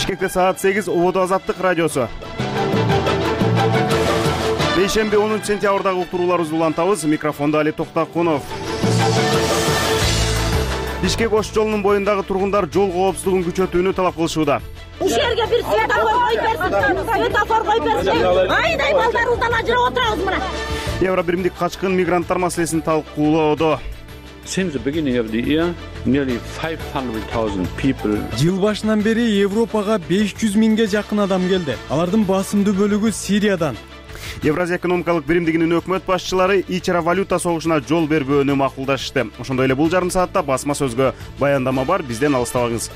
Бишкекте саат 8 Убуду Азаттык радиосу. Бейшемби 10 сентябрдагы уктурууларыбызды улантабыз. Микрофонда Али Токтакунов. Бишкек Ош жолунун боюндагы тургундар жол коопсуздугун күчөтүүнү талап кылышууда. Ушул жерге бир светофор коюп берсин, светофор коюп берсин. Айдай балдарыбыздан ажырап отырабыз мына. Евро биримдик качкын мигранттар маселесин талкуулоодо. Since the beginning of the year, nearly 500,000 people. Жыл башынан бери Европага 500 миңге жакын адам келди. Алардын басымдуу бөлүгү Сириядан. Евразия экономикалык биримдигинин өкмөт башчылары ичара валюта согушуна жол бербөөнү макулдашты. Ошондой эле бул жарым саатта басма сөзгө баяндама бар, бизден алыстабаңыз.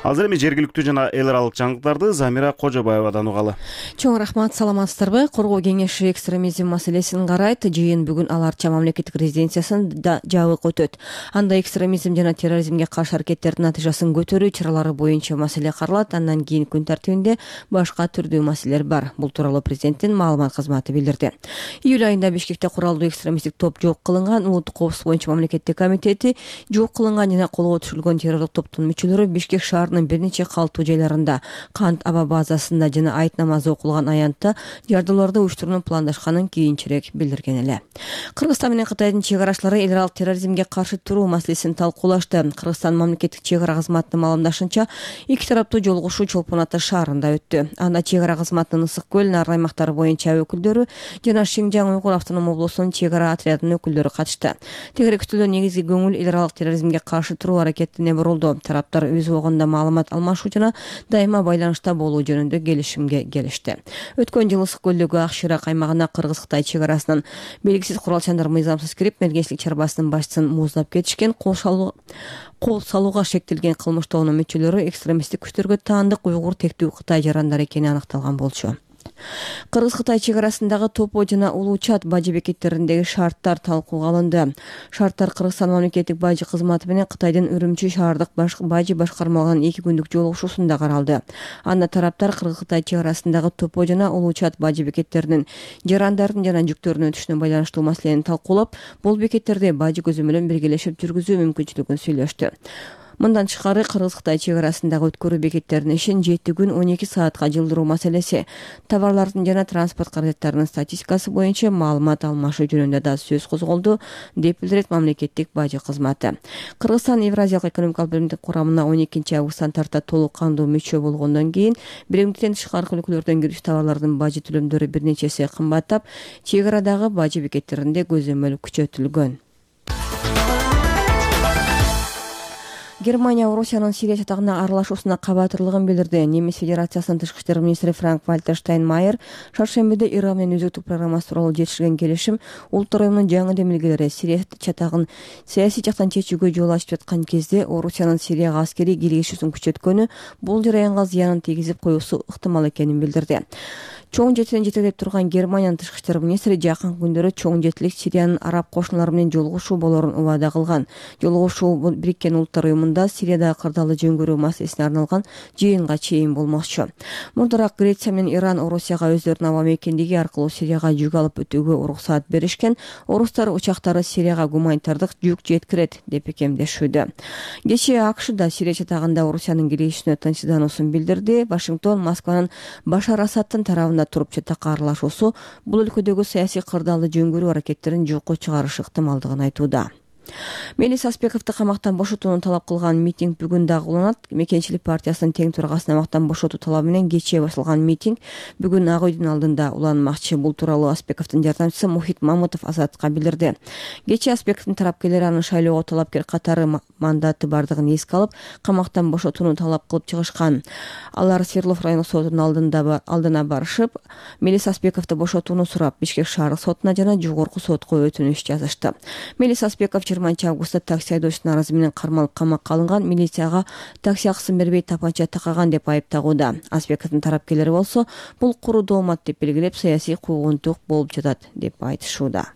Азыр эми жергиликтүү жана эл аралык жаңылыктарды Замира Кожобаевадан угалы. Чоң рахмат, саламатсыздарбы? Коргоо кеңеши экстремизм маселесин карайт. Жыйын бүгүн Ал Арча мамлекеттик резиденциясында жабык өтөт. Анда экстремизм жана терроризмге каршы аракеттердин натыйжасын көтөрүү чаралары боюнча маселе каралат. Андан кийин күн тартибинде башка түрдүү маселелер бар. Бул тууралуу президенттин маалымат кызматы билдирди. Июль айында Бишкекте куралдуу экстремисттик топ жок кылынган. Улуттук коопсуздук боюнча мамлекеттик комитети жок кылынган жана колго түшүрүлгөн террорлук топтун мүчөлөрү Бишкек шаарынын бир нече калктуу жайларында, Кант аба базасында жана айт намазы окулган аянтта жардыларды уюштуруунун пландашканын кийинчерээк билдирген эле. Кыргызстан менен Кытайдын чек арачылары эл аралык терроризмге каршы туруу маселесин талкуулашты. Кыргызстан мамлекеттик чек ара кызматынын маалымдашынча, эки тараптуу жолугушуу Чолпон Ата шаарында өттү. Анда чек ара кызматынын Ысык көл, Нарын аймактары боюнча өкүлдөрү жана Шинжаң Уйгур автоном облусунун чек ара отрядынын өкүлдөрү катышты. Тегеректүүлдө негизги көңүл эл аралык терроризмге каршы туруу аракетине бурулду. Тараптар өз убагында маалымат алмашуу жана дайыма байланышта болуу жөнүндө келишимге келишти. Өткөн жылы Ысык көлдөгү Ак Шыйрак аймагына Кыргыз-Кытай чек арасынан белгисиз куралчандар мыйзамсыз кирип, мергенчилик чарбасынын башчысын мууздап кетишкен. Кол салууга шектелген кылмыш тобунун мүчөлөрү экстремисттик күчтөргө таандык уйгур тектүү Кытай жарандары экени аныкталган болчу. Кыргыз-Кытай чек арасындагы Топо жана Улуу Чат бажы бекеттериндеги шарттар талкууга алынды. Шарттар Кыргызстан мамлекеттик бажы кызматы менен Кытайдын Үрүмчү шаардык бажы башкармалыгынын 2 күндүк жолугушуусунда каралды. Анда тараптар Кыргыз-Кытай чек арасындагы Топо жана Улуу Чат бажы бекеттеринин жарандардын жана жүктөрдүн өтүшүнө байланыштуу маселени талкуулап, бул бекеттерде бажы көзөмөлүн биргелешип жүргүзүү мүмкүнчүлүгүн сүйлөштү. Мындан тышкары Кыргыз-Кытай чек арасындагы өткөрүү бекеттеринин ишин 7 күн 12 саатка жылдыруу маселеси, товарлардын жана транспорт каражаттарынын статистикасы боюнча маалымат алмашуу жөнүндө да сөз козголду, деп билдирет мамлекеттик бажы кызматы. Кыргызстан Евразиялык экономикалык биримдик курамына 12 августтан тарта толук кандуу мүчө болгондон кийин биримдиктен тышкаркы өлкөлөрдөн кирүүчү товарлардын бажы төлөмдөрү бир нече эсе кымбаттап, чек арадагы бажы бекеттеринде көзөмөл күчөтүлгөн. Германия Орусиянын Сирия чатагына аралашуусуна кабатырлыгын билдирди. Немис Федерациясынын тышкы иштер министри Франк-Вальтер Штайнмайер шаршембиде Иран менен үзүктүк программасы тууралуу жетишилген келишим Улуттар уюмунун жаңы демилгелери Сирия чатагын саясий жактан чечүүгө жол ачып жаткан кезде Орусиянын Сирияга аскерий кийлигишүүсүн күчөткөнү бул жараянга зыянын тийгизип коюусу ыктымал экенин билдирди. Чоң жетилен жетектеп турган Германиянын тышкы иштер министри жакын күндөрү чоң жетилик Сириянын араб кошуналары менен жолугушуу болорун убада кылган. Жолугушуу Бириккен Улуттар уюмунда Сириядагы кырдаалды жөнгөрүү маселесине арналган жыйынга чейин болмокчу. Мурдараак Греция менен Иран Орусияга өздөрүнүн аба мекендиги аркылуу Сирияга жүк алып өтүүгө уруксаат беришкен. Орустар учактары Сирияга гуманитардык жүк жеткирет деп бекемдешүүдө. Кечээ АКШда Сирия чатагында Орусиянын киришүүнө тынчсыздануусун билдирди. Вашингтон Москванын Башар Асадтын тарабында туруп чатакка аралашуусу бул өлкөдөгү саясий кырдаалды жөнгөрүү аракеттерин жокко чыгарышы ыктымалдыгын айтууда. Мелис Аспековду камактан бошотууну талап кылган митинг бүгүн дагы уланат. Мекенчилик партиясынын тең төрагасына камактан бошотуу талабы менен кечээ башталган митинг бүгүн Ак үйдүн алдында уланмакчы. Бул тууралуу Аспековдун жардамчысы Мухит Мамутов Азаттыкка билдирди. Кечээ Аспековдун тарапкерлери аны шайлоого талапкер катары мандаты бардыгын эске алып, камактан бошотууну талап кылып чыгышкан. Алар Свердлов райондук сотунун алдына барышып, Мелис Аспековду бошотууну сурап, Бишкек шаардык сотуна жана жогорку сотко өтүнүш жазышты. Мелис Аспеков 20 августта такси айдоочунун аразы менен кармалып камакка алынган, милицияга такси акысын бербей тапанча такаган деп айыптагууда. Аспековдун тарапкерлери болсо, бул куру доомат деп белгилеп, саясий куугунтук болуп жатат деп айтышууда.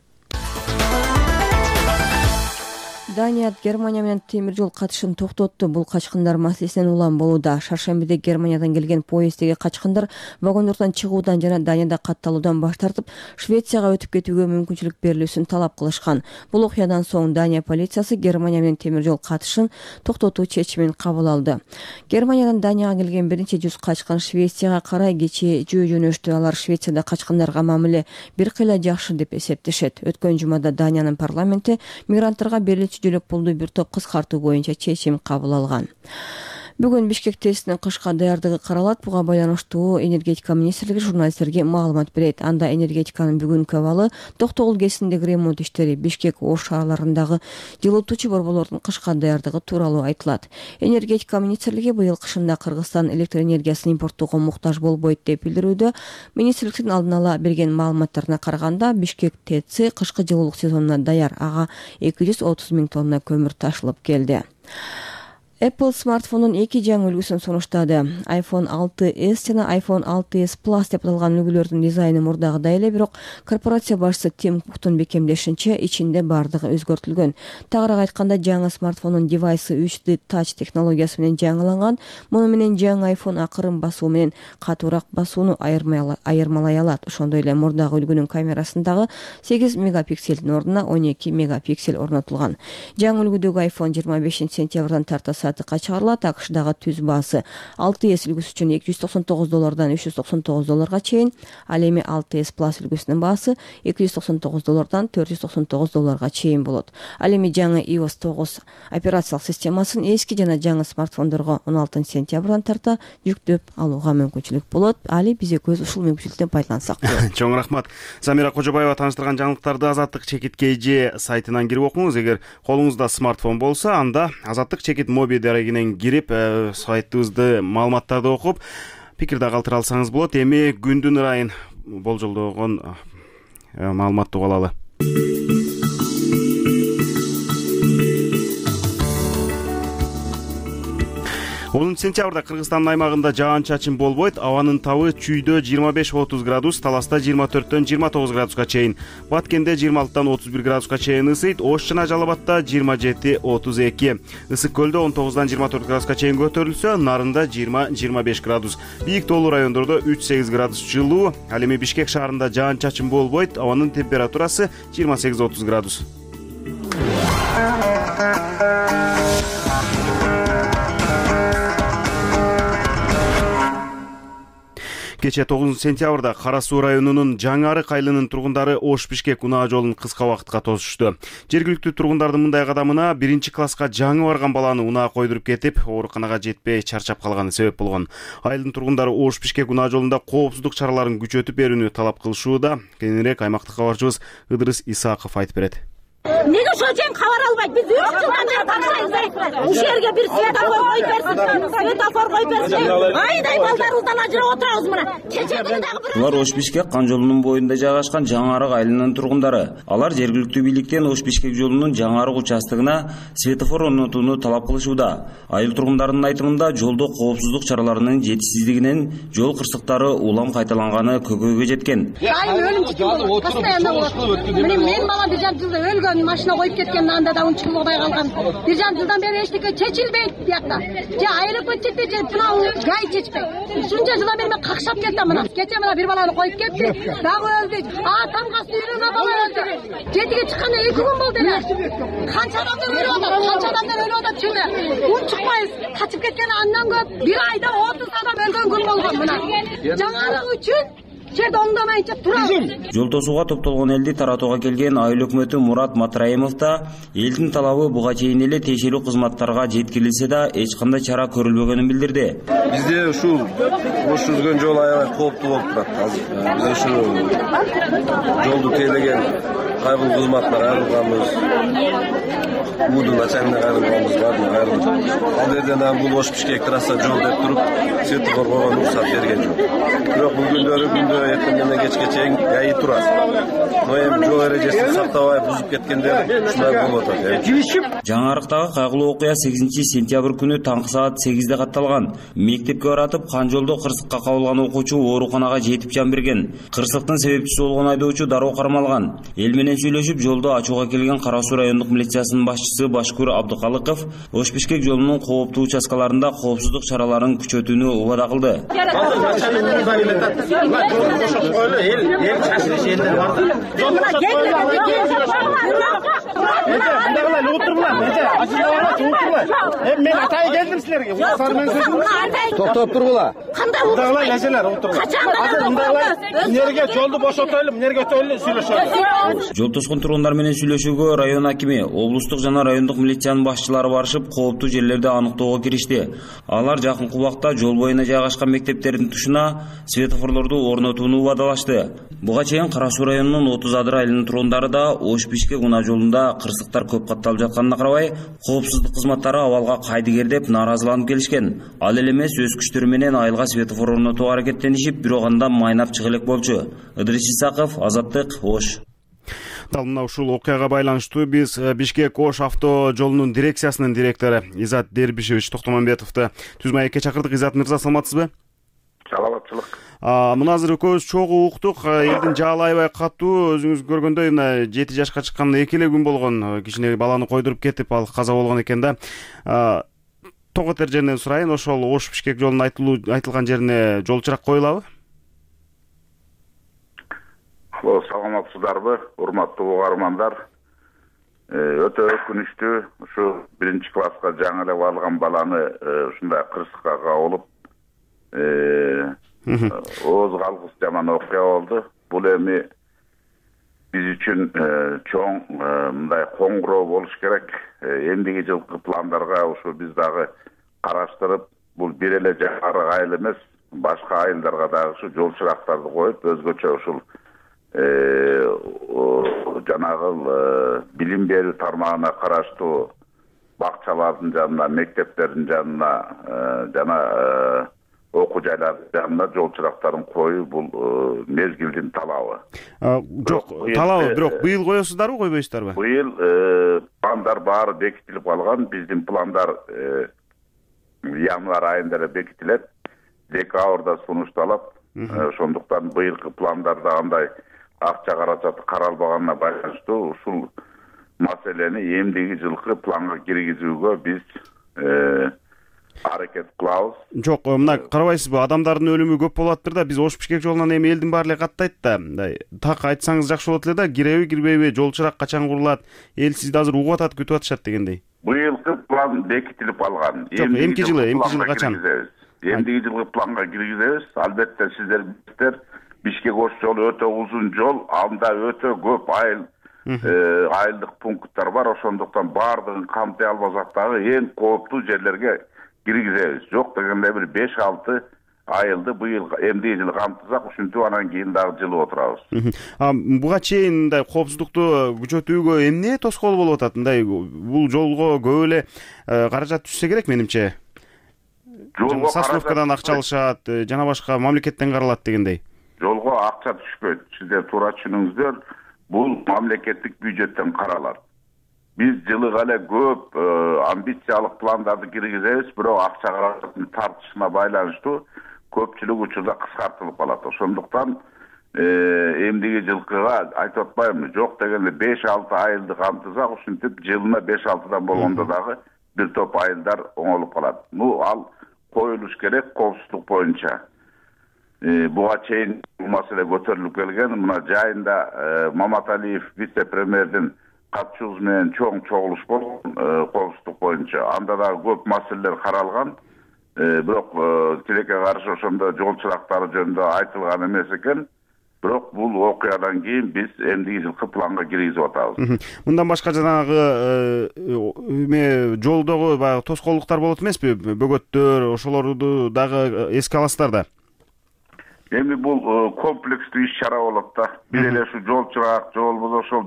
Дания Германия менен темир жол катышын токтотту. Бул качкындар маселесинен улам болууда. Шаршембиде Германиядан келген поезддеги качкындар вагондордон чыгуудан жана Данияда катталуудан баш тартып, Швецияга өтүп кетүүгө мүмкүнчүлүк берилүүсүн талап кылышкан. Бул окуядан соң Дания полициясы Германия менен темир жол катышын токтотуу чечимин кабыл алды. Германиядан Данияга келген бир нече жүз качкын Швецияга карай кечээ жөнөштү. Алар Швецияда качкындарга мамиле бир кыйла жакшы деп эсептешет. Өткөн жумада Даниянын парламенти мигранттарга берилүүчү жөлөк пулду бир топ кыскартуу боюнча чечим кабыл алган. Бүгүн Бишкек ТЭСинин кышка даярдыгы каралат. Буга байланыштуу энергетика министрлиги журналисттерге маалымат берет. Анда энергетиканын бүгүнкү абалы Токтогул КЭСиндеги ремонт иштери, Бишкек Ош шаарларындагы жылытуучу борборлордун кышка даярдыгы тууралуу айтылат. Энергетика министрлиги быйыл кышында Кыргызстан электр энергиясын импорттоого муктаж болбойт деп билдирүүдө. Министрликтин алдын ала берген маалыматтарына караганда Бишкек ТЭСи кышкы жылуулук сезонуна даяр. Ага 230 000 тонна көмүр ташылып келди. Apple смартфондун эки жаңы үлгүсүн сунуштады. iPhone 6s жана iPhone 6s Plus деп аталган үлгүлөрдүн дизайны мурдагыдай эле, бирок корпорация башчысы Тим Куктун бекемдешинче ичинде бардыгы өзгөртүлгөн. Тагыраак айтканда, жаңы смартфондун девайсы 3D Touch технологиясы менен жаңыланган. Муну менен жаңы iPhone акырын басуу менен катуураак басууну айырмалай алат. Ошондой эле мурдагы үлгүнүн камерасындагы 8 мегапикселдин ордуна 12 мегапиксель орнотулган. Жаңы үлгүдөгү iPhone 25 сентябрдан тарта сатыкка чыгарылат. АКШдагы түз баасы 6s үлгүсү үчүн $299 $399 чейин, ал эми 6s Plus үлгүсүнүн баасы $299 $499 чейин болот. Ал эми жаңы iOS 9 операциялык системасын эски жана жаңы смартфондорго 16 сентябрдан тарта жүктөп алууга мүмкүнчүлүк болот. Али биз экөөбүз ушул мүмкүнчүлүктөн пайдалансак болот. Чоң рахмат. Замира Кожобаева таныштырган жаңылыктарды Азаттык Чекит КЖ сайтынан кирип окуңуз. Эгер колуңузда смартфон болсо, анда Азаттык Чекит моби дарегинен кирип, сайтыбызды маалыматтарды окуп, пикирди калтыра алсаңыз болот. Эми күндүн ырайын болжолдогон маалыматты угуп алалы. 10 сентябрда Кыргызстандын аймагында жаан-чачын болбойт. Абанын табы чүйдө 25-30 градус, Таласта 24-29 градуска чейин, Баткенде 26-31 градуска чейин ысыйт, Ош жана Жалал-Абадта 27-32, Ысык көлдө 19-24 градуска чейин көтөрүлсө, Нарында 20-25 градус, Бийик тоолуу райондордо 3-8 градус жылуу. Ал эми Бишкек шаарында жаан-чачын болбойт. Абанын температурасы 28-30 градус. Кечээ 9 сентябрда Кара Суу районунун Жаңарык айылынын тургундары Ош-Бишкек унаа жолун кыска убакытка тосушту. Жергиликтүү тургундардын мындай кадамына 1-класска жаңы барган баланы унаа койдуруп кетип, ооруканага жетпей чарчап калганы себеп болгон. Айылдын тургундары Ош-Бишкек унаа жолунда коопсуздук чараларын күчөтүп берүүнү талап кылышууда. Кененирээк аймактык кабарчыбыз Ыдырыс Исаков айтып берет. Неге ошол жем кабар албайт? Биз 3 жылдан бери тапшырабыз. Ушул жерге бир светофор коюп берсин. Светофор коюп берсин. Айдай балдарыбыздан ажырап отурабыз мына. Кечээ күнү дагы бир. Булар Ош-Бишкек кан жолунун боюнда жайгашкан Жаңарык айылынын тургундары. Алар жергиликтүү бийликтен Ош-Бишкек жолунун Жаңарык участогуна светофор орнотууну талап кылышууда. Айыл тургундарынын айтымында, жолдо коопсуздук чараларынын жетишсиздигинен жол кырсыктары улам кайталанганы көкөйгө жеткен. Постоянно болот. Мен балам бир жарым жылда өлгөн, машина коюп кеткен, анда да унчук болбой калган. Бир жарым жылдан бери эчтеке чечилбейт биякта. Же аэропорт чечпейт, же тынау гай чечпейт. Ушунча жылдан бери мен какшап кеттим мына. Кечээ мына бир баланы коюп кетти, дагы өлдү. Тамга сүйрөгө бала өлдү. Жетиге чыкканда 2 күн болду эле. Канча адамдар өлүп атат чүнө. Унчукпайбыз. Качып кеткен андан көп. Бир айда 30 адам өлгөн күн болгон мына. Жаңарык үчүн жерде оңдомайынча турабыз. Жол тосууга топтолгон элди таратууга келген айыл өкмөтү Мурат Матраимов да элдин талабы буга чейин эле тиешелүү кызматтарга жеткирилсе да эч кандай чара көрүлбөгөнүн билдирди. Бизде ушул Ош жүзгөн жол аябай кооптуу болуп турат. Биз ушул жолду тейлеген кайрылуу кызматына кайрылганбыз. Мудун ачаңына кайрылганбыз, баардыгына кайрылдык. Ал жерден бул Ош-Бишкек трасса жол деп туруп, светофор койгон уруксат берген жок. Бирок бул күндөрү эртеңден кечке чейин ГАИ турат. эми жол эрежесин сактабай бузуп кеткендер ушундай болуп атат. Жаңы Арыктагы кайгылуу окуя 8-сентябрь күнү таңкы саат 8-де катталган. Мектепке баратып кан жолдо кырсыкка кабылган окуучу ооруканага жетип жан берген. Кырсыктын себепчиси болгон айдоочу дароо кармалган. Эл менен сүйлөшүп жолдо ачууга келген Кара Суу райондук милициясынын башчысы Башкур Абдыкалыков Ош-Бишкек жолунун кооптуу участкаларында коопсуздук чараларын күчөтүүнү убада кылды. Мен атайын келдим силерге. Токтоп тургула. Мындайлар эжелер отуруп. Азыр мындайлар эмнеге жолду бошотойлу, эмнеге өтөйлү сүйлөшөбүз. Жол тоскон тургундар менен сүйлөшүүгө район акими, облустук жана райондук милициянын башчылары барышып, кооптуу жерлерди аныктоого киришти. Алар жакынкы убакта жол боюна жайгашкан мектептердин тушуна светофорлорду орнотууну убадалашты. Буга чейин Кара Суу районунун 30 адыр айылынын тургундары да Ош-Бишкек унаа жолунда кырсыктар көп катталып жатканына карабай, коопсуздук кызматтары абалга кайдыгер деп нааразыланып келишкен. Ал эле эмес өз күчтөрү менен айылга светофор орнотууга аракеттенишип, бирок анда майнап чыга элек болчу. Ыдрис Исаков, Азаттык, Ош. Дал мына ушул окуяга байланыштуу биз Бишкек-Ош авто жолунун дирекциясынын директору Изат Дербишевич Токтомамбетовду түз маекке чакырдык. Изат мырза, саламатсызбы? Саламатчылык. Мына азыр экөөбүз чогуу уктук. Элдин жаалы аябай катуу. Өзүңүз көргөндөй мына 7 жашка чыккан 2 эле күн болгон кичине баланы койдуруп кетип, ал каза болгон экен да. Тоготер жеринен сурайын, ошол Ош-Бишкек жолунун айтылган жерине жол чырак коюлабы? Саламатсыздарбы, урматтуу угармандар. Өтө өкүнүчтүү, ушу 1-класска жаңы эле барган баланы ушундай кырсыкка кабылып, ооз калгыс жаман окуя болду. Бул эми биз үчүн чоң мындай коңгуроо болуш керек. Эндиги жылкы пландарга ушу биз дагы караштырып, бул бир эле жаңы айыл эмес, башка айылдарга дагы ушу жол чырактарды коюп, өзгөчө ушул жанагы билим берүү тармагына караштуу бакчалардын жанына, мектептердин жанына жана окуу жайлардын жанына жол чырактарын коюу бул мезгилдин талабы. Жок, талабы, бирок быйыл коесуздарбы, койбойсуздарбы? Быйыл пландар баары бекитилип калган. Биздин пландар январь айында эле бекитилет. Декабрда сунушталат. Ошондуктан быйылкы пландарда андай акча каражаты каралбаганына байланыштуу ушул маселени эмдиги жылкы планга киргизүүгө биз аракет кылабыз. Жок, мына карабайсызбы, адамдардын өлүмү көп болуптыр да, биз Ош-Бишкек жолунан эми элдин баары эле каттайт да. Мындай так айтсаңыз жакшы болот эле да, киреби, кирбейби, жол чырак качан курулат, эл сизди азыр угуп атат, күтүп атышат дегендей. Быйылкы план бекитилип алган. Эмки жылы качан? Эмдиги жылкы планга киргизебиз. Албетте сиздер билесиздер, Бишкек-Ош жолу өтө узун жол, анда өтө көп айылдык пункттар бар. Ошондуктан баардыгын камтый албасак дагы эң кооптуу жерлерге киргизебиз. Жок дегенде бир 5-6 айылды быйыл эмдиги жылы камтысак, ушинтип анан кийин дагы жылып отурабыз. Буга чейин мындай коопсуздукту күчөтүүгө эмне тоскоол болуп атат? Мындай бул жолго көп эле каражат түшсө керек менимче. Сосновкадан акча алышат, жана башка мамлекеттен каралат дегендей. Жолго акча түшпөйт. Сиздер туура түшүнүңүздөр, бул мамлекеттик бюджеттен каралат. Биз жылыга эле көп амбициялык пландарды киргизебиз, бирок акча каражатын тартышына байланыштуу көпчүлүк учурда кыскартылып калат. Ошондуктан эмдиги жылкыга айтып атпаймынбы, жок дегенде 5-6 айылды камтысак, ушинтип жылына 5-6дан болгондо дагы бир топ айылдар оңолуп калат. Ал коюлуш керек коопсуздук боюнча. Буга чейин бул маселе көтөрүлүп келген. Мына жайында Маматалиев вице-премьердин катчуусу менен чоң чогулуш болгон коопсуздук боюнча. Анда дагы көп маселелер каралган. Бирок тилекке каршы ошондо жол чырактары жөнүндө айтылган эмес экен. Бирок бул окуядан кийин биз эмдиги жылкы планга киргизип атабыз. Мындан башка жанагы жолдогу баягы тоскоолдуктар болот эмеспи? Бөгөттөр, ошолорду дагы эске аласыздар да. Эми бул комплекстүү иш-чара болот да. Бир эле ушу жол чырак, же болбосо ошол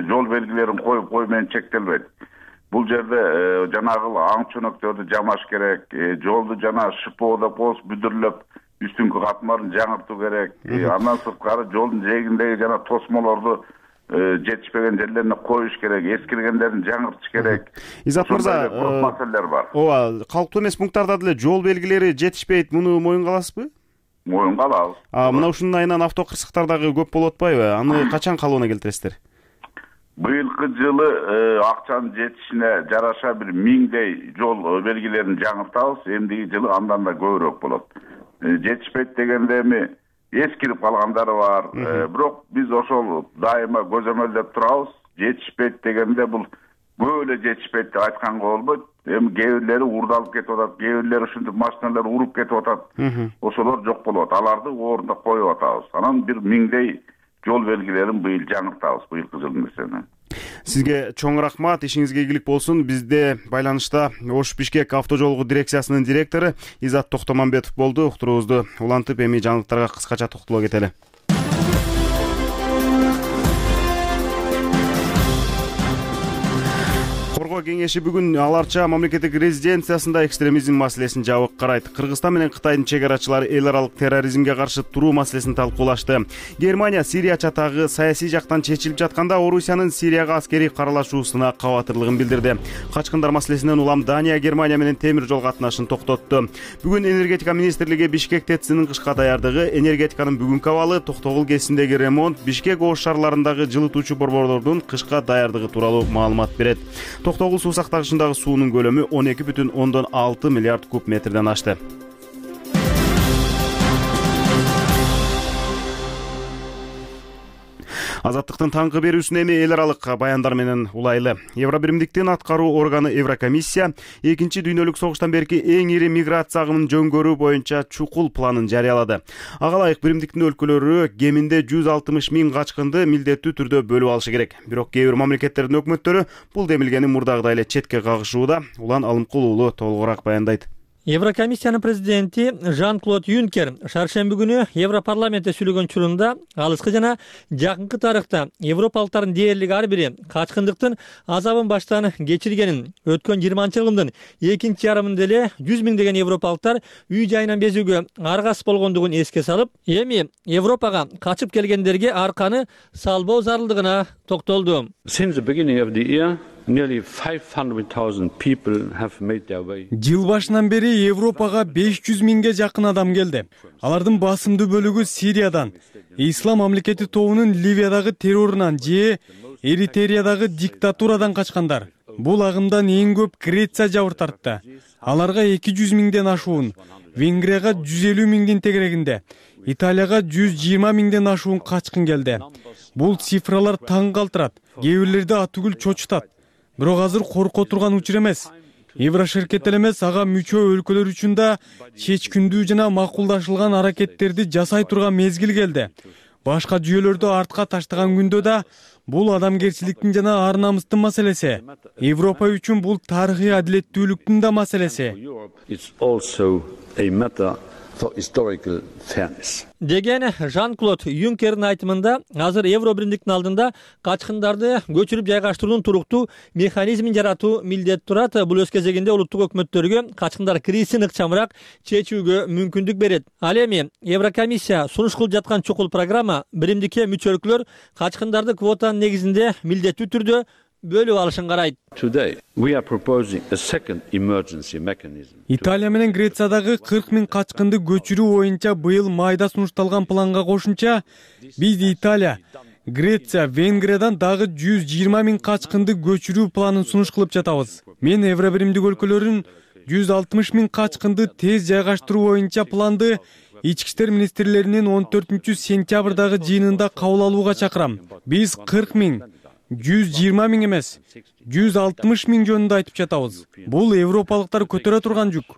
жол белгилерин коюп кою менен чектелбейт. Бул жерде жанагы аң чөнөктөрдү жамаш керек, жолду жана шпоо поз бүдүрлөп, үстүңкү катмарын жаңыртуу керек. Андан сырткары жолдун жээгиндеги жана тосмолорду жетишпеген жерлерине коюш керек, эскиргендерин жаңыртыш керек. Изат мырза, маселелер бар. Ооба, калктуу эмес пункттарда деле жол белгилери жетишпейт, муну моюнга аласызбы? Моюнга алабыз. Мына ушунун айынан автокырсыктар дагы көп болуп атпайбы? Аны качан калыбына келтиресиздер? Быйылкы жылы акчанын жетишине жараша бир 1000дей жол белгилерин жаңыртабыз. Эмдиги жылы андан да көбүрөөк болот. Жетишпейт дегенде эми эскирип калгандары бар. Бирок биз ошол дайыма көзөмөлдөп турабыз. Жетишпейт дегенде бул көп эле жетишпейт деп айтканга болбойт. Эми кээ бирлери урдалып кетип атат, кээ бирлери ушинтип машиналар уруп кетип атат. Ошолор жок болуп атат. Аларды ордуна коюп атабыз. Анан бир 1000дей жол белгилерин быйыл жаңыртабыз, быйылкы жылдын эсебинен. Сизге чоң рахмат, ишиңизге ийгилик болсун. Бизде байланышта Ош Бишкек автожолку дирекциясынын директору Изат Токтомамбетов болду. Уктуруубузду улантып, эми жаңылыктарга кыскача токтоло кетели. Кеңеши бүгүн Ал Арча мамлекеттик резиденциясында экстремизм маселесин жабык карайт. Кыргызстан менен Кытайдын чек арачылары эл аралык терроризмге каршы туруу маселесин талкуулашты. Германия Сирия чатагы саясий жактан чечилип жатканда Орусиянын Сирияга аскерий каралашуусуна кабатырлыгын билдирди. Качкындар маселесинен улам Дания Германия менен темир жол катнашын токтотту. Бүгүн энергетика министрлиги Бишкек ТЭЦинин кышка даярдыгы, энергетиканын бүгүнкү абалы, Токтогул КЭСиндеги ремонт, Бишкек Ош шаарларындагы жылытуучу борборлордун кышка даярдыгы тууралуу маалымат берет. Токтогул суу сактагычындагы суунун көлөмү 12,6 миллиард куб метрден ашты. Азаттыктын таңкы берүүсүнө эми эл аралык баяндар менен улайлы. Евробиримдиктин аткаруу органы Еврокомиссия 2 дүйнөлүк согуштан берки эң ири миграция агымын жөнгөрүү боюнча чукул планын жарыялады. Ага ылайык биримдиктин өлкөлөрү кеминде 160 000 качкынды милдеттүү түрдө бөлүп алышы керек. Бирок кээ бир мамлекеттердин өкмөттөрү бул демилгени мурдагыдай эле четке кагышууда. Улан Алымкул уулу толугураак баяндайт. Еврокомиссиянын президенти Жан-Клод Юнкер шаршемби күнү Европарламентте сүйлөгөн учурунда алыскы жана жакынкы тарыхта европалыктардын дээрлик ар бири качкындыктын азабын баштан кечиргенин, өткөн 20-жылдын экинчи ярымында эле 100 миңдеген европалыктар үй жайынан безүүгө аргасыз болгондугун эске салып, эми Европага качып келгендерге арканы салбоо зарылдыгына токтолду. Since the beginning of the year, nearly 500,000 people have made their way. Жыл башынан бери Европага 500 миңге жакын адам келди. Алардын басымдуу бөлүгү Сириядан, Ислам мамлекети тобунун Ливиядагы террорунан же Эритреядагы диктатурадан качкандар. Бул агымдан эң көп Греция жабыр тартты. Аларга 200 миңден ашуун, Венгрияга 150 миңдин тегерегинде, Италияга 120 миңден ашуун качкын келди. Бул цифралар таң калтырат, кээ бирлерди атүгүл чочутат. Бирок азыр корко турган учур эмес. Еврошеркет эле эмес, ага мүчө өлкөлөр үчүн да чечкиндүү жана макулдашылган аракеттерди жасай турган мезгил келди. Башка жүйөлөрдү артка таштаган күндө да бул адамгерчиликтин жана ар намыстын маселеси. Европа үчүн бул тарыхый адилеттүүлүктүн да маселеси. Деген Жан-Клод Юнкердин айтымында азыр Евробиримдиктин алдында качкындарды көчүрүп жайгаштыруунун туруктуу механизмин жаратуу милдет турат. Бул өз кезегинде улуттук өкмөттөргө качкындар кризисин ыкчамыраак чечүүгө мүмкүндүк берет. Ал эми Еврокомиссия сунуш кылып жаткан чукул программа биримдикке мүчө өлкөлөр качкындарды квотанын негизинде милдеттүү түрдө бөлүп алышын карайт. Today we are proposing a second emergency mechanism. Италия менен Грециядагы 40 000 качкынды көчүрүү боюнча быйыл майда сунушталган планга кошумча биз Италия, Греция, Венгриядан дагы 120 000 качкынды көчүрүү планын сунуш кылып жатабыз. Мен Евробиримдик өлкөлөрүн 160 000 качкынды тез жайгаштыруу боюнча планды Ички иштер министрлеринин 14-сентябрдагы жыйынында кабыл алууга чакырам. Биз 40 000 120 000 эмес, 160 000 жөнүндө айтып жатабыз. Бул европалыктар көтөрө турган жүк.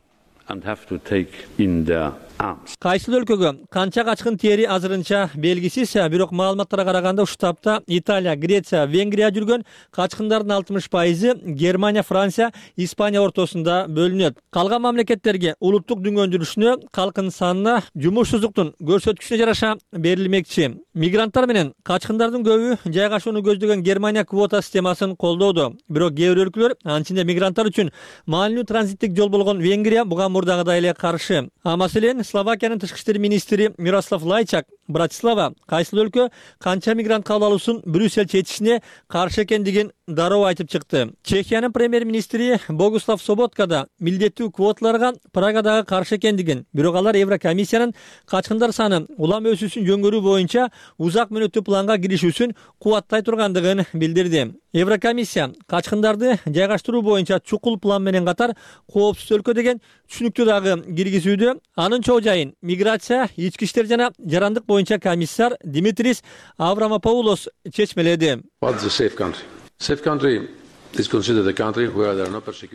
Кайсыл өлкөгө канча качкын тери азырынча белгисиз, бирок маалыматтарга караганда ушул таапта Италия, Греция, Венгрия жүргөн качкындардын 60% Германия, Франция, Испания ортосунда бөлүнөт. Калган мамлекеттерге улуттук дүнгөндүрүшүнө, калкынын санына, жумушсуздуктун көрсөткүчүнө жараша берилмекчи. Мигранттар менен качкындардын көбү жайгашууну көздөгөн Германия квота системасын колдоодо. Бирок кээ бир өлкөлөр, анчинде мигранттар үчүн маанилүү транзиттик жол болгон Венгрия буга мурдагыдай эле каршы. Маселен, Словакиянын тышкы иштер министри Мирослав Лайчак Братислава кайсыл өлкө канча мигрант кабыл алуусун Брюссель чечишине каршы экендигин дароо айтып чыкты. Чехиянын премьер-министри Богуслав Соботка да милдеттүү квоталарга Прагадагы каршы экендигин, бирок алар Еврокомиссиянын качкындар саны улам өсүүсүн жөнгөрүү боюнча узак мөөнөттүү планга киришүүсүн кубаттай тургандыгын билдирди. Еврокомиссия качкындарды жайгаштыруу боюнча чукул план менен катар коопсуз өлкө деген түшүнүктү дагы киргизүүдө. Анын чоо жайын миграция, ички иштер жана жарандык боюнча комиссар Димитрис Аврамопоулос чечмеледи.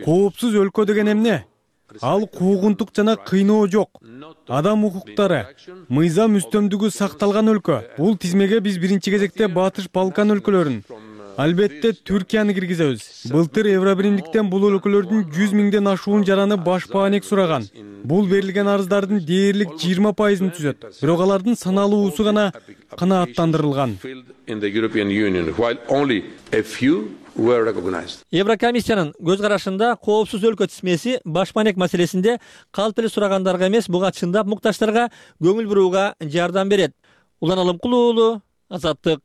Коопсуз өлкө деген эмне? Ал куугунтук жана кыйноо жок. Адам укуктары, мыйзам үстөмдүгү сакталган өлкө. Бул тизмеге биз биринчи кезекте Батыш Балкан өлкөлөрүн, албетте Түркияны киргизебиз. Былтыр Евробиримдиктен бул өлкөлөрдүн 100 миңден ашуун жараны баш баанек сураган. Бул берилген арыздардын дээрлик 20%-ын түзөт. Бирок алардын саналуусу гана канааттандырылган. Еврокомиссиянын көз карашында коопсуз өлкө тизмеси баш баанек маселесинде калп эле сурагандарга эмес, буга чындап муктаждарга көңүл бурууга жардам берет. Улан Алымкул уулу, Азаттык.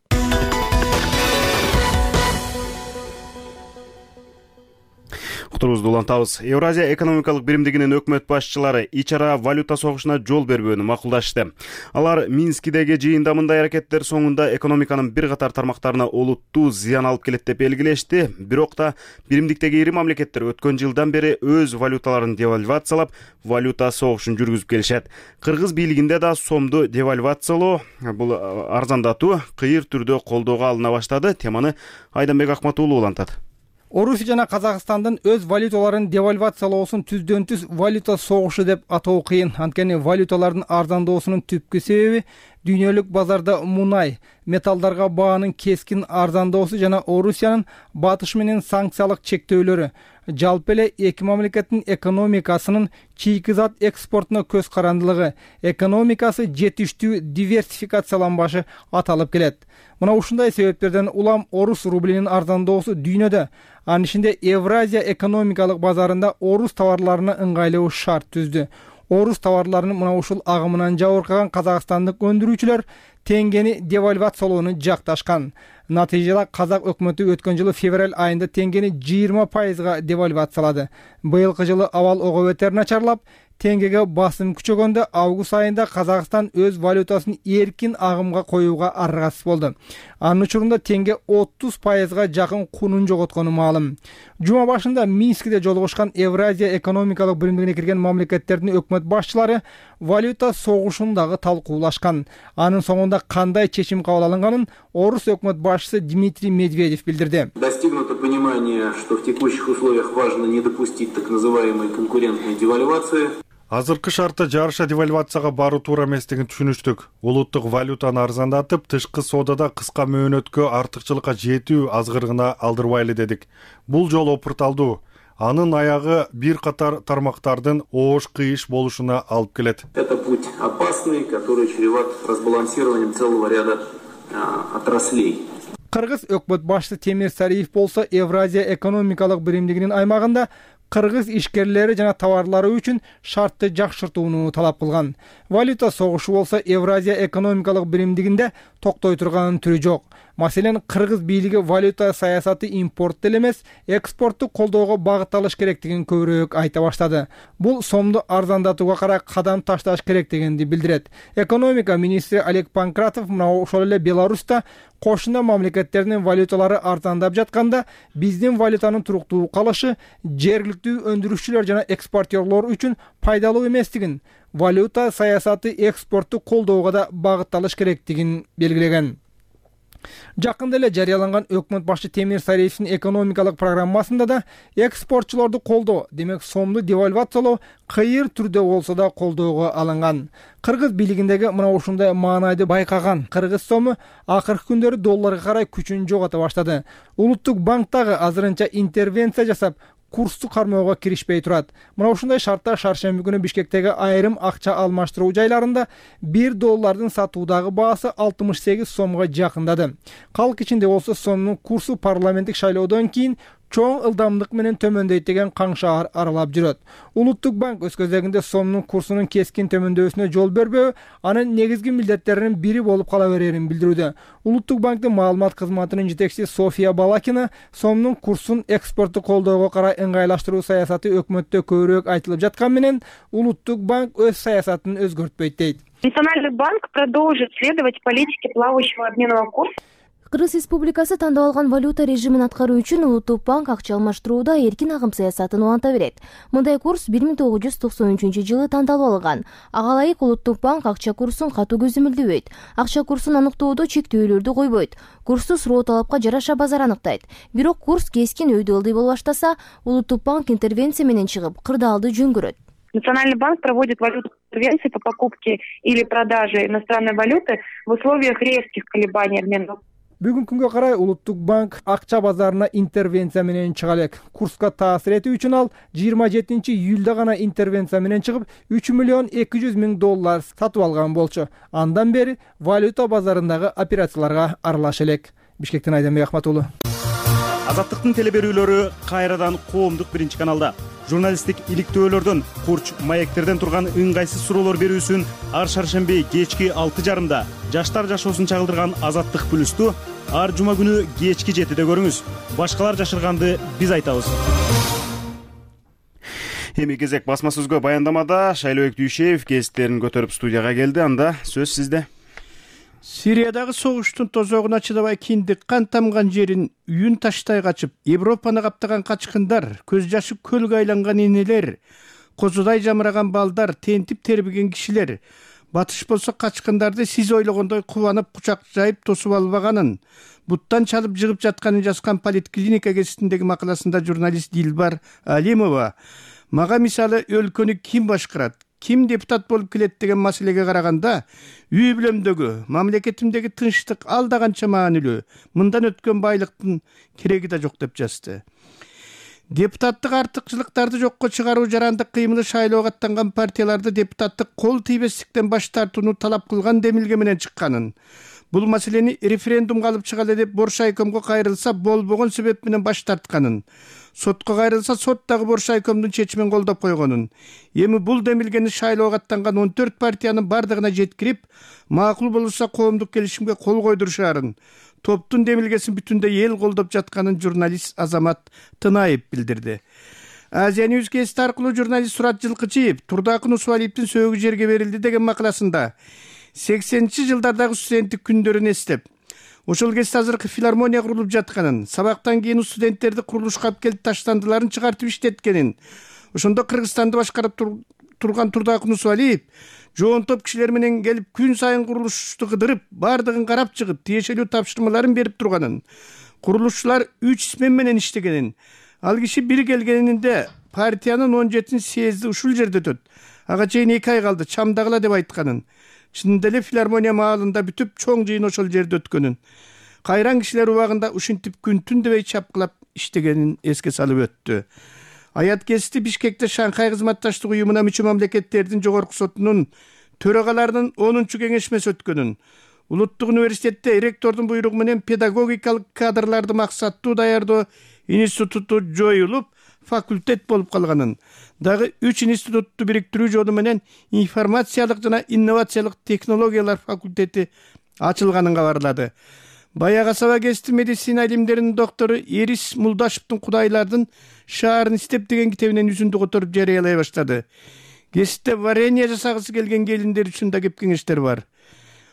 Уктурубузду улантабыз. Евразия экономикалык биримдигинин өкмөт башчылары ич ара валюта согушуна жол бербөөнү макулдашты. Алар Минскидеги жыйында мындай аракеттер соңунда экономиканын бир катар тармактарына олуттуу зыян алып келет деп белгилешти. Бирок да биримдиктеги ири мамлекеттер өткөн жылдан бери өз валюталарын девальвациялап, валюта согушун жүргүзүп келишет. Кыргыз бийлигинде да сомду девальвациялоо, бул арзандатуу кыйыр түрдө колдоого алына баштады. Теманы Айданбек Акмат уулу улантат. Орусия жана Казакстандын өз валюталарын девальвациялоосун түздөн түз валюта согушу деп атоо кыйын. Анткени валюталардын арзандоосунун түпкү себеби дүйнөлүк базарда мунай, металлдарга баанын кескин арзандоосу жана Орусиянын батыш менен санкциялык чектөөлөрү. Жалпы эле эки мамлекеттин экономикасынын чийки зат экспортуна көз карандылыгы, экономикасы жетиштүү диверсификацияланбашы аталып келет. Мына ушундай себептерден улам орус рублинин арзандоосу дүйнөдө, анын ичинде Евразия экономикалык базарында орус товарларына ыңгайлуу шарт түздү. Орус товарларынын мына ушул агымынан жабыркаган казакстандык өндүрүүчүлөр теңгени девальвациялоону жакташкан. Натыйжада казак өкмөтү өткөн жылы февраль айында теңгени 20%га девальвациялады. Быйылкы жылы абал ого бетер начарлап, теңгеге басым күчөгөндө август айында Казакстан өз валютасын эркин агымга коюуга аргасыз болду. Анын учурунда теңге 30%га жакын кунун жоготкону маалым. Жума башында Минскиде жолугушкан Евразия экономикалык биримдигине кирген мамлекеттердин өкмөт башчылары валюта согушун дагы талкуулашкан. Анын соңунда кандай чечим кабыл алынганын орус өкмөт башчысы Дмитрий Медведев билдирди. Достигнуто понимание, что в текущих условиях важно не допустить так называемой конкурентной девальвации. Азыркы шартта жарыша девальвацияга баруу туура эместигин түшүнүштүк. Улуттук валютаны арзандатып, тышкы соодада кыска мөөнөткө артыкчылыкка жетүү азгырыгына алдырбайлы дедик. Бул жол опурталдуу. Анын аягы бир катар тармактардын оош-кыйыш болушуна алып келет. Это путь опасный, который чреват разбалансированием целого ряда отраслей. Кыргыз өкмөт башчысы Темир Сариев болсо Евразия экономикалык биримдигинин аймагында кыргыз ишкерлери жана товарлары үчүн шартты жакшыртууну талап кылган. Валюта согушу болсо Евразия экономикалык биримдигинде токтой турганын түрү жок. Маселен, кыргыз бийлиги валюта саясаты импорт эле эмес, экспортту колдоого багытталыш керектигин көбүрөөк айта баштады. Бул сомду арзандатууга карай кадам ташташ керектигинди билдирет. Экономика министри Олег Панкратов мына ошол эле Беларуста кошуна мамлекеттердин валюталары арзандап жатканда, биздин валютанын туруктуу калышы жергиликтүү өндүрүүчүлөр жана экспортерлор үчүн пайдалуу эместигин, валюта саясаты экспортту колдоого да багытталыш керектигин белгилеген. Жакында эле жарыяланган өкмөт башчы Темир Сариевдин экономикалык программасында да экспортчулорду колдоо, демек сомду девальвациялоо кыйыр түрдө болсо да колдоого алынган. Кыргыз бийлигиндеги мына ушундай маанайды байкаган кыргыз сому акыркы күндөрү долларга карай күчүн жогото баштады. Улуттук банк дагы азырынча интервенция жасап, курсту кармоого киришпей турат. Мына ушундай шартта шаршемби күнү Бишкектеги айрым акча алмаштыруу жайларында $1 сатуудагы баасы 68 сомго жакындады. Калк ичинде болсо сомдун курсу парламенттик шайлоодон кийин чоң ылдамдык менен төмөндөйт деген каң шаар аралап жүрөт. Улуттук банк өз кезегинде сомдун курсунун кескин төмөндөшүнө жол бербөө анын негизги милдеттеринин бири болуп кала берерин билдирүүдө. Улуттук банктын маалымат кызматынын жетекчиси София Балакина сомдун курсун экспортду колдоого карай ыңгайлаштыруу саясаты өкмөттө көбүрөөк айтылып жаткан менен Улуттук банк өз саясатын өзгөртпөйт дейт. Национальный банк продолжит следовать политике плавающего обменного курса. Кыргыз Республикасы тандап алган валюта режимин аткаруу үчүн Улуттук банк акча алмаштырууда эркин агым саясатын уланта берет. Мындай курс 1993-жылы тандалып алынган. Ага ылайык Улуттук банк акча курсун катуу көзөмөлдөбөйт. Акча курсун аныктоодо чектөөлөрдү койбойт. Курсту суроо талапка жараша базар аныктайт. Бирок курс кескин өйдө ылдый боло баштаса, Улуттук банк интервенция менен чыгып, кырдаалды жөн көрөт. Национальный банк проводит валютные интервенции по покупке или продаже иностранной валюты в условиях резких колебаний обмена. Бүгүнкү күнгө карай Улуттук банк акча базарына интервенция менен чыга элек. Курска таасир этүү үчүн ал 27-июлда гана интервенция менен чыгып, $3,200,000 сатып алган болчу. Андан бери валюта базарындагы операцияларга аралаша элек. Бишкектен Айданбек Ахматулу. Азаттыктын телеберүүлөрү кайрадан коомдук биринчи каналда. Журналисттик иликтөөлөрдөн, курч маектерден турган ыңгайсыз суроолор берүүсүн ар шаршемби кечки 6:30 жаштар жашоосун чагылдырган Азаттык плюсту ар жума күнү кечки 7-де көрүңүз. Башкалар жашырганды биз айтабыз. Эми кезек басма сөзгө баяндамада Шайлообек Дүйшеев кесиптерин көтөрүп студияга келди. Анда сөз сизде. Сириядагы согуштун тозогуна чыдабай киндик кан тамган жерин үйүн таштай качып, Европаны каптаган качкындар, көз жашы көлгө айланган энелер, козудай жамыраган балдар, тентип тербиген кишилер, батыш болсо качкындарды сиз ойлогондой кубанып кучак жайып тосуп албаганын, буттан чалып жыгып жатканын жазган Политклиника гезитиндеги макаласында журналист Дилбар Алимова мага мисалы өлкөнү ким башкарат, ким депутат болуп келет деген маселеге караганда үй бүлөмдөгү, мамлекетимдеги тынчтык алда канча маанилүү, мындан өткөн байлыктын кереги да жок деп жазды. Депутаттык артыкчылыктарды жокко чыгаруу жарандык кыймылы шайлоого аттанган партияларды депутаттык кол тийбестиктен баш тартууну талап кылган демилге менен чыкканын. Бул маселени референдумга алып чыгалы деп Боршайкомго кайрылса болбогон себеп менен баш тартканын. Сотко кайрылса сот дагы Боршайкомдун чечимин колдоп койгонун. Эми бул демилгени шайлоого аттанган 14 партиянын бардыгына жеткирип, макул болурса коомдук келишимге кол койдурушаарын, топтун демилгесин бүтүндөй эл колдоп жатканын журналист Азамат Тынаев билдирди. Азия News гезити аркылуу журналист Сурат Жылкычиев Турдакын Усубалиевдин сөөгү жерге берилди деген макаласында 80-жылдардагы студенттик күндөрүн эстеп, ошол кезде азыркы филармония курулуп жатканын, сабактан кийин студенттерди курулушка алып келип таштандыларын чыгартып иштеткенин, ошондо Кыргызстанды башкарып турган Турдакын Усубалиев жоон топ кишилер менен келип күн сайын курулушту кыдырып, бардыгын карап чыгып, тиешелүү тапшырмаларын берип турганын, курулушчулар 3 смен менен иштегенин, ал киши бир келгенинде партиянын 17 съезди ушул жерде өтөт, ага чейин 2 ай калды, чамдагыла деп айтканын, чындап эле филармония маалында бүтүп чоң жыйын ошол жерде өткөнүн, кайран кишилер убагында ушинтип күн түн дебей чапкылап иштегенин эске салып өттү. Аят гезити Бишкекте Шанхай кызматташтык уюмуна мүчө мамлекеттердин жогорку сотунун төрагаларынын 10-чу кеңешмеси өткөнүн, Улуттук университетте ректордун буйругу менен педагогикалык кадрларды максаттуу даярдоо институту жоюлуп, факультет болуп калганын, дагы 3 институтту бириктирүү жолу менен информациялык жана инновациялык технологиялар факультети ачылганын кабарлады. Баягы Саба гезити медицина илимдеринин доктору Эрис Мулдашевдин Кудайлардын шаарын иштеп деген китебинен үзүндү которуп жарыялай баштады. Гезитте варенье жасагысы келген келиндер үчүн да кеп кеңештер бар.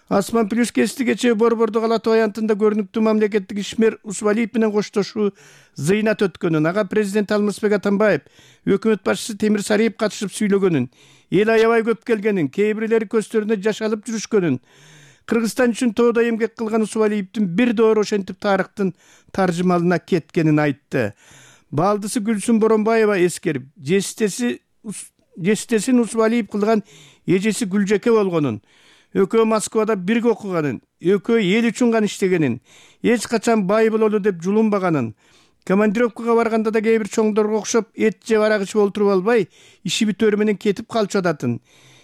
Асман плюс гезити кечээ Борборду калатуу аянтында көрүнүктүү мамлекеттик ишмер Усубалиев менен коштошуу зыйнат өткөнүн, ага президент Алмазбек Атамбаев, өкмөт башчысы Темир Сариев катышып сүйлөгөнүн, эл аябай көп келгенин, кээ бирлери көздөрүнө жаш алып жүрүшкөнүн, Кыргызстан үчүн тоодо эмгек кылган Усубалиевдин бир доор ошентип тарыхтын таржымалына кеткенин айтты. Балдысы Гүлсүн Боронбаева эскерип, жестесин Усубалиев кылган эжеси Гүлжеке болгонун, экөө Москвада бирге окуганын, экөө эл үчүн гана иштегенин, эч качан бай бололу деп жулунбаганын, командировкага барганда да кээ бир чоңдорго окшоп эт жеп арак ичип олтуруп албай, иши бүтөрү менен кетип калчу адатын.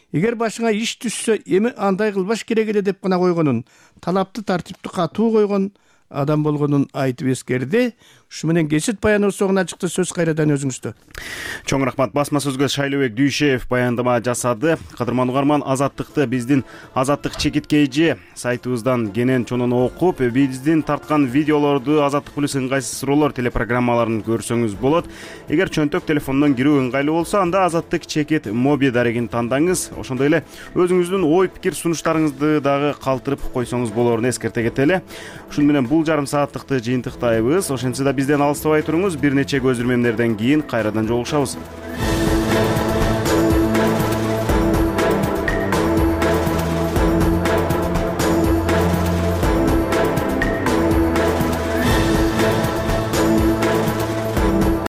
Эгер башыңа иш түшсө, эми андай кылбаш керек эле деп гана койгонун, талапты тартипти катуу койгон адам болгонун айтып эскерди. Ушу менен кесит баяныбыз соңуна чыкты. Сөз кайрадан өзүңүздө. Чоң рахмат. Басма сөзгө Шайлообек Дүйшеев баяндама жасады. Кадырман угарман, азаттыкты биздин азаттык чекиткейжи сайтыбыздан кенен чонун окуп, биздин тарткан видеолорду Азаттык плюс ыңгайсыз суроолор телепрограммаларын көрсөңүз болот. Эгер чөнтөк телефондон кирүү ыңгайлуу болсо, анда Азаттык чекит моби дарегин тандаңыз. Ошондой эле өзүңүздүн ой пикир сунуштарыңызды дагы калтырып койсоңуз болоорун эскерте кетели. Ушун менен бул жарым сааттыкты жыйынтыктайбыз. Ошентсе да бизден алыстабай туруңуз. Бир нече көзүрмемдерден кийин кайрадан жолугушабыз.